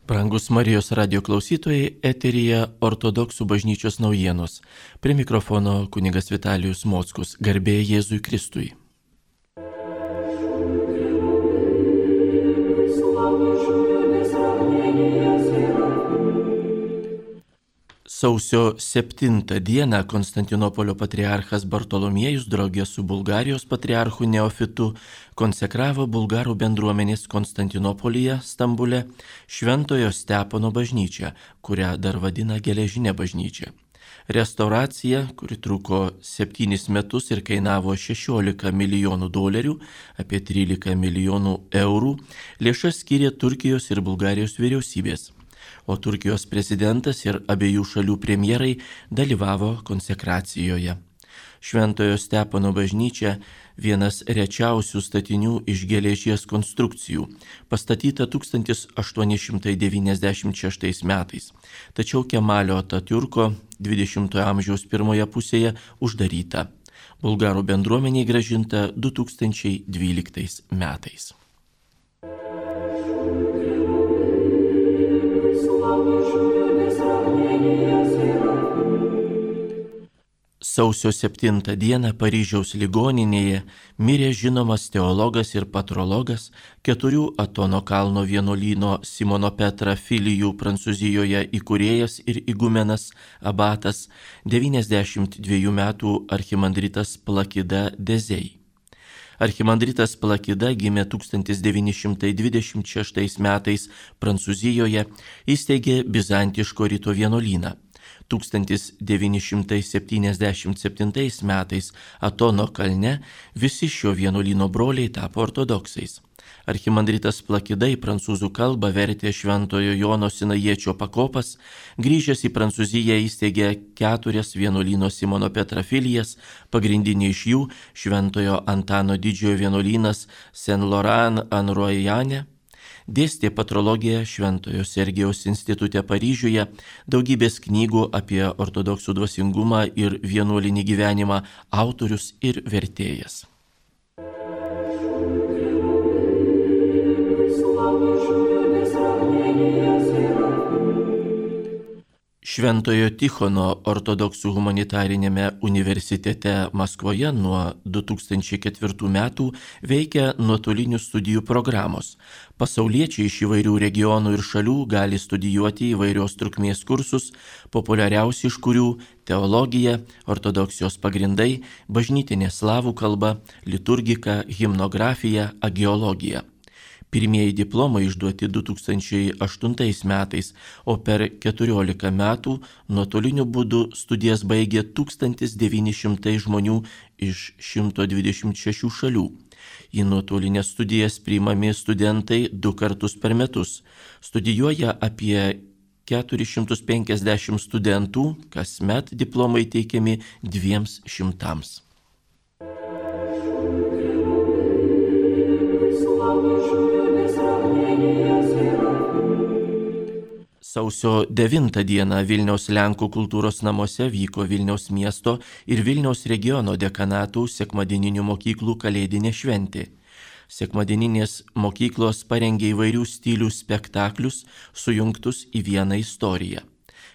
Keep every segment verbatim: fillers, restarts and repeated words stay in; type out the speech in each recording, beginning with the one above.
Brangus Marijos radio klausytojai, eteryje Ortodoksų bažnyčios naujienos. Prie mikrofono kunigas Vitalijus Mockus. Garbė Jėzui Kristui. Sausio septintą dieną Konstantinopolio patriarchas Bartolomiejus draugė su Bulgarijos patriarchu Neofitu konsekravo bulgarų bendruomenės Konstantinopolyje, Stambule, Šventojo Stepono bažnyčią, kurią dar vadina Geležinė bažnyčia. Restauracija, kuri truko septynis metus ir kainavo šešiolika milijonų dolerių, apie trylika milijonų eurų, lėšas skyrė Turkijos ir Bulgarijos vyriausybės. O Turkijos prezidentas ir abiejų šalių premjerai dalyvavo konsekracijoje. Šventojo Stepono bažnyčia vienas rečiausių statinių iš geležies konstrukcijų, pastatyta tūkstantis aštuoni šimtai devyniasdešimt šeštais metais, tačiau Kemalio Atatiurko dvidešimtojo amžiaus pirmoje pusėje uždaryta. Bulgarų bendruomeniai grąžinta du tūkstančiai dvyliktais metais. Sausio septintą dieną Paryžiaus ligoninėje mirė žinomas teologas ir patrologas, keturių Atono kalno vienuolyno Simono Petra filijų Prancūzijoje įkūrėjas ir igumenas abatas, devyniasdešimt dviejų metų archimandritas Plakida Dezei. Archimandritas Plakida gimė tūkstantis devyni šimtai dvidešimt šeštais metais Prancūzijoje, įsteigė bizantiško rito vienuolyną. tūkstantis devyni šimtai septyniasdešimt septintais metais Atono kalne visi šio vienuolyno broliai tapo ortodoksais. Archimandritas Plakida į prancūzų kalbą vertė Šventojo Jono Sinajiečio pakopas, grįžęs į Prancūziją įsteigė keturias vienuolyno Simono Petra filijas, pagrindinė iš jų Šventojo Antano didžiojo vienuolynas Saint-Laurent-en-Royane. Dėstė patrologiją Šventojo Sergijaus institute Paryžiuje, daugybės knygų apie ortodoksų dvasingumą ir vienuolinį gyvenimą autorius ir vertėjas. Šventojo Tichono ortodoksų humanitarinėme universitete Maskvoje nuo du tūkstančiai ketvirtų metų veikia nuotolinių studijų programos. Pasauliečiai iš įvairių regionų ir šalių gali studijuoti įvairios trukmės kursus, populiariausi iš kurių teologija, ortodoksijos pagrindai, bažnytinė slavų kalba, liturgika, himnografija, agiologija. Pirmieji diplomai išduoti du tūkstančiai aštuntais metais, o per keturiolika metų nuotoliniu būdu studijas baigė tūkstantis devyni šimtai žmonių iš šimto dvidešimt šešių šalių. Į nuotolinės studijas priimami studentai du kartus per metus. Studijuoja apie keturis šimtus penkiasdešimt studentų, kasmet diplomai teikiami dviems šimtams. Sausio devintą dieną Vilniaus Lenkų kultūros namuose vyko Vilniaus miesto ir Vilniaus regiono dekanatų sekmadieninių mokyklų kalėdinė šventė. Sekmadieninės mokyklos parengė įvairių stilių spektaklius, sujungtus į vieną istoriją.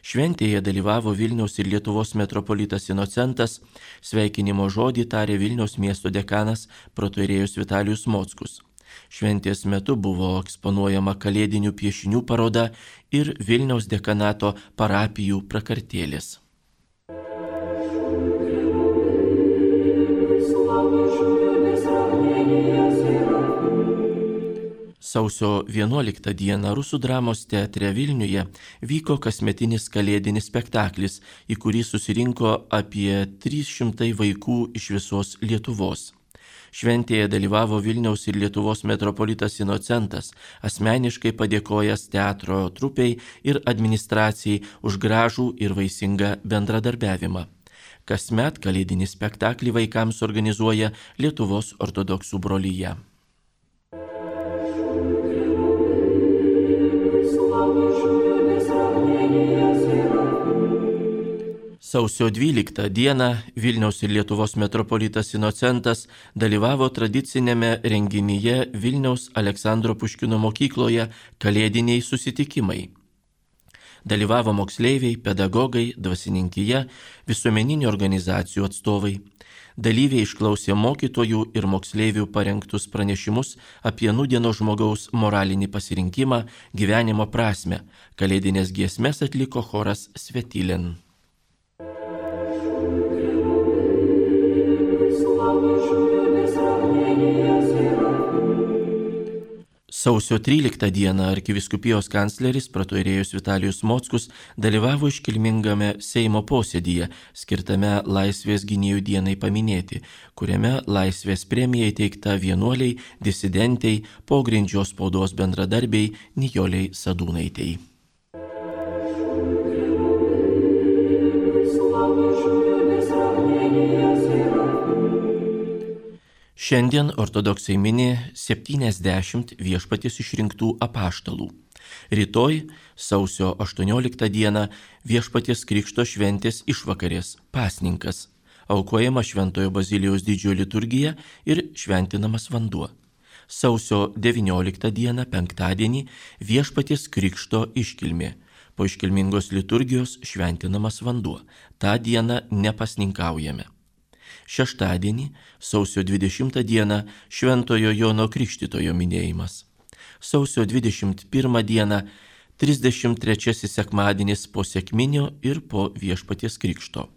Šventėje dalyvavo Vilniaus ir Lietuvos metropolitas Inocentas, sveikinimo žodį tarė Vilniaus miesto dekanas protoierėjus Vitalijus Mockus. Šventės metu buvo eksponuojama kalėdinių piešinių paroda ir Vilniaus dekanato parapijų prakartėlės. Sausio vienuoliktą dieną Rusų dramos teatre Vilniuje vyko kasmetinis kalėdinis spektaklis, į kurį susirinko apie trys šimtai vaikų iš visos Lietuvos. Šventėje dalyvavo Vilniaus ir Lietuvos metropolitas Inocentas, asmeniškai padėkojęs teatro trupei ir administracijai už gražų ir vaisingą bendradarbiavimą. Kasmet kalėdinį spektaklį vaikams organizuoja Lietuvos ortodoksų brolija. Sausio dvyliktą dieną Vilniaus ir Lietuvos metropolitas Inocentas dalyvavo tradicinėme renginyje Vilniaus Aleksandro Puškino mokykloje Kalėdiniai susitikimai. Dalyvavo moksleiviai, pedagogai, dvasininkija, visuomeninių organizacijų atstovai. Dalyviai išklausė mokytojų ir moksleivių parengtus pranešimus apie nūdienos žmogaus moralinį pasirinkimą, gyvenimo prasmę. Kalėdinės giesmes atliko choras Svetilin. Sausio tryliktą dieną arkivyskupijos kancleris praturėjus Vitalijus Mockus dalyvavo iškilmingame Seimo posėdyje, skirtame Laisvės gynėjų dienai paminėti, kuriame Laisvės premija įteikta vienuoliai, disidentei, pogrindžio spaudos bendradarbei Nijolei Sadūnaitei. Šiandien ortodoksai mini septyniasdešimt Viešpaties išrinktų apaštalų. Rytoj, sausio aštuonioliktą dieną, Viešpaties Krikšto šventės išvakarės pasninkas, aukojama Šventojo Bazilijaus didžiojo liturgija ir šventinamas vanduo. Sausio devynioliktą dieną, penktadienį, Viešpaties Krikšto iškilmė. Po iškilmingos liturgijos šventinamas vanduo. Ta diena nepasninkaujame. Šeštadienį, sausio dvidešimtą dieną, Šventojo Jono Krikštytojo minėjimas. Sausio dvidešimt pirmą dieną, trisdešimt trečiasis sekmadienis po sekminio ir po Viešpaties Krikšto.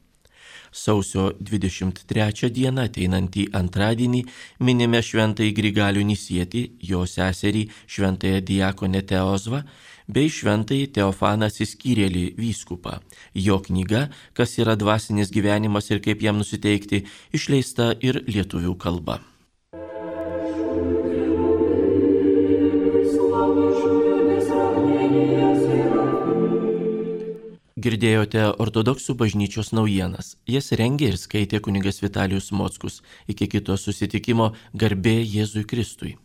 Sausio dvidešimt trečią dieną, ateinantį antradienį, minime Šventąjį Grigalių Nisietį, jo seserį Šventąją diakonę Teozvą, bei Šventąjį Teofaną Atsiskyrėlį vyskupą. Jo knyga Kas yra dvasinis gyvenimas ir kaip jam nusiteikti, išleista ir lietuvių kalba. Girdėjote ortodoksų bažnyčios naujienas. Jas rengė ir skaitė kunigas Vitalijus Mockus. Iki kito susitikimo, garbė Jėzui Kristui.